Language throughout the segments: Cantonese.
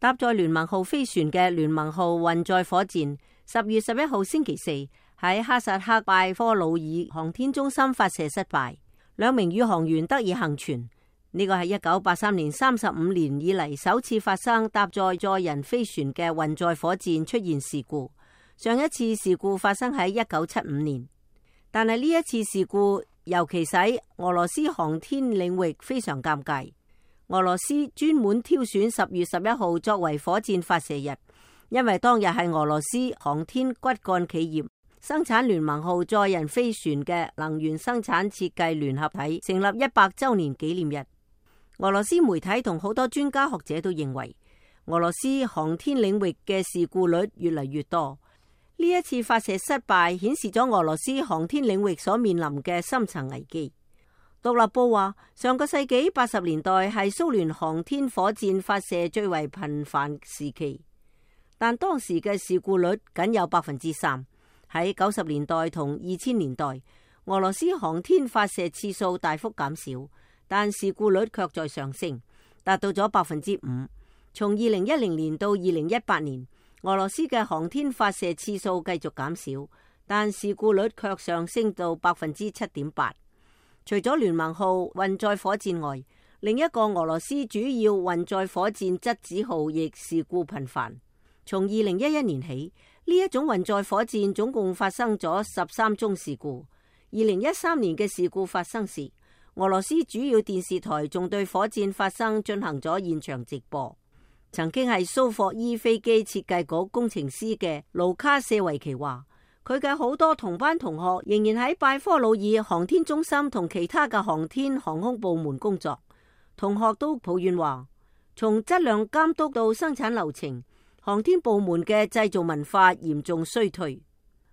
搭載聯盟號飛船嘅聯盟號運載火箭10月11號星期四喺哈薩克拜科魯爾航天中心發射失敗，2名宇航員得以幸存。呢個係1983年35年以嚟首次發生搭載載人飛船嘅運載火箭出現事故。上一次事故發生喺1975年，但係呢一次事故尤其使俄羅斯航天領域非常尷尬。俄羅斯專門挑選10月11號作為火箭發射日，因為當日係俄羅斯航天骨幹企業生產聯盟號載人飛船嘅能源生產設計聯合體成立100週年紀念日。俄羅斯媒體同好多專家學者都認為，俄羅斯航天領域嘅事故率越嚟越多。呢一次發射失敗顯示咗俄羅斯航天領域所面臨嘅深層危機。獨立報話，上個世紀80年代係蘇聯航天火箭發射最為頻繁時期，但當時嘅事故率僅有3%。喺90年代同2000年代，俄羅斯航天發射次數大幅減少，但事故率卻在上升，達到咗5%。從2010年到2018年，俄羅斯嘅航天發射次數繼續減少，但事故率卻上升到7.8%。除咗聯盟號運載火箭外，另一個俄羅斯主要運載火箭質子號亦事故頻繁。從2011年起，呢一種運載火箭總共發生咗13宗事故。2013年嘅事故發生時，俄羅斯主要電視台仲對火箭發生進行咗現場直播。曾經係蘇霍伊飛機設計局工程師嘅盧卡舍維奇話，佢嘅好多同班同學仍然喺拜科魯爾航天中心同其他嘅航天航空部門工作。同學都抱怨話，從質量監督到生產流程，航天部門嘅製造文化嚴重衰退，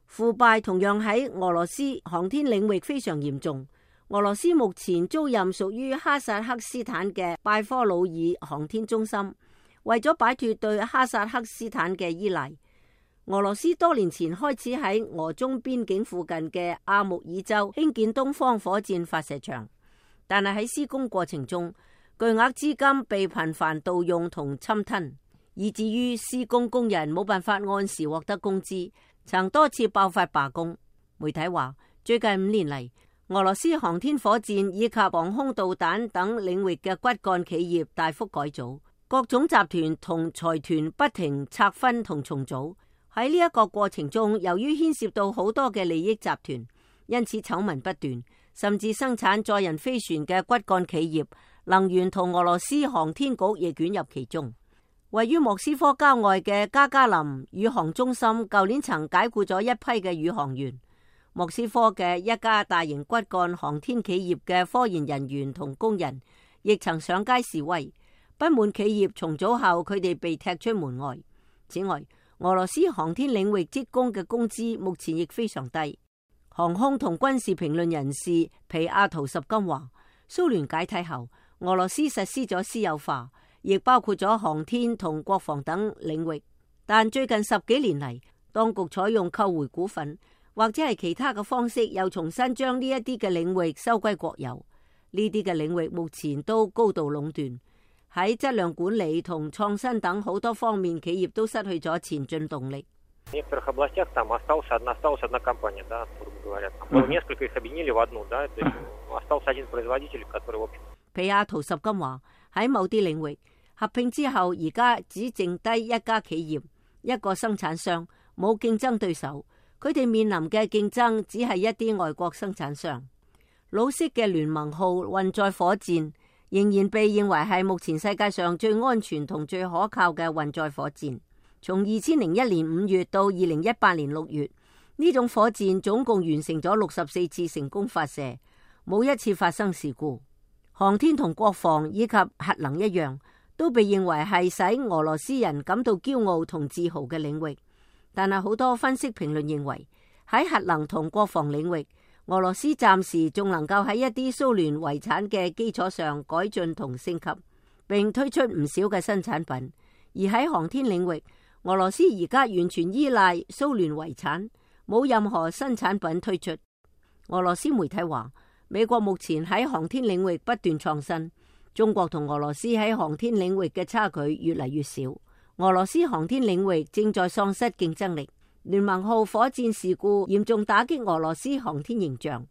腐敗同樣喺俄羅斯航天領域非常嚴重。俄羅斯目前租任屬於哈薩克斯坦嘅拜科魯爾航天中心，為咗擺脫對哈薩克斯坦嘅依賴，俄羅斯多年前開始喺俄中邊境附近嘅阿穆爾州興建東方火箭發射場，但係喺施工過程中，巨額資金被頻繁盜用同侵吞，以至於施工工人冇辦法按時獲得工資，曾多次爆發罷工。媒體話，最近5年嚟，俄羅斯航天火箭以及防空導彈等領域嘅骨幹企業大幅改組，各種集團同財團不停拆分同重組。喺呢一個過程中，由於牽涉到好多嘅利益集團，因此醜聞不斷，甚至生產載人飛船嘅骨幹企業能源同俄羅斯航天局亦捲入其中。位於莫斯科郊外嘅加加林宇航中心舊年曾解僱咗一批嘅宇航員。莫斯科嘅一家大型骨幹航天企業嘅科研人員同工人亦曾上街示威，不滿企業重組後佢哋被踢出門外。此外，俄羅斯航天領域職工嘅工資目前亦非常低。航空同軍事評論人士皮亞圖什金話，蘇聯解體後，俄羅斯實施咗私有化，亦包括咗航天同國防等領域。但最近10幾年嚟，當局採用購回股份或者係其他嘅方式，又重新將呢一啲嘅領域收歸國有。呢啲嘅領域目前都高度壟斷。喺質量管理同創新等好多方面，企業都失去咗前進動力。皮亞圖什金話，喺某啲領域合併之後，而家只剩低一家企業，一個生產商，冇競爭對手。佢哋面臨嘅競爭只係一啲外國生產商。老式嘅聯盟號運載火箭仍然被認為係目前世界上最安全同最可靠嘅運載火箭。從2001年5月到2018年6月，呢種火箭總共完成咗64次成功發射，冇一次發生事故。航天同國防以及核能一樣，都被認為係使俄羅斯人感到驕傲同自豪嘅領域。但係好多分析評論認為，喺核能同國防領域，俄羅斯暫時仲能夠喺一啲蘇聯遺產嘅基礎上改進同升級，並推出唔少嘅新產品。而喺航天領域，俄羅斯而家完全依賴蘇聯遺產，冇任何新產品推出。俄羅斯媒體話，美國目前喺航天領域不斷創新，中國同俄羅斯喺航天領域嘅差距越嚟越少。俄羅斯航天領域正在喪失競爭力。聯盟號火箭事故嚴重打擊俄羅斯航天形象，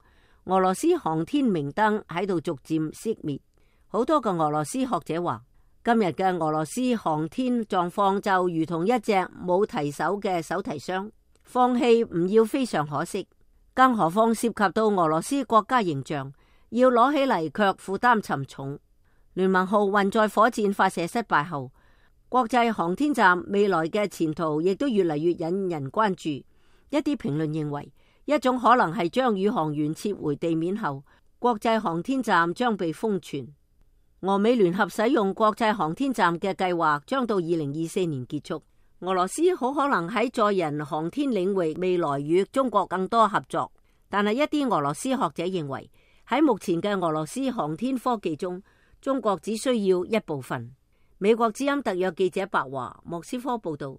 俄羅斯航天明燈喺度逐漸熄滅。好多個俄羅斯學者話，今日嘅俄羅斯航天狀況就如同一隻冇提手嘅手提箱，放棄唔要非常可惜，更何況涉及到俄羅斯國家形象，要攞起嚟卻負擔沉重。聯盟號運載火箭發射失敗後，國際航天站未來嘅前途亦都越嚟越引人關注。一啲評論認為，一種可能係將宇航員撤回地面後，國際航天站將被封存。俄美聯合使用國際航天站嘅計劃將到2024年結束。俄羅斯好可能喺載人航天領域未來與中國更多合作，但係一啲俄羅斯學者認為，喺目前嘅俄羅斯航天科技中，中國只需要一部分。美國之音特約記者白華莫斯科報道。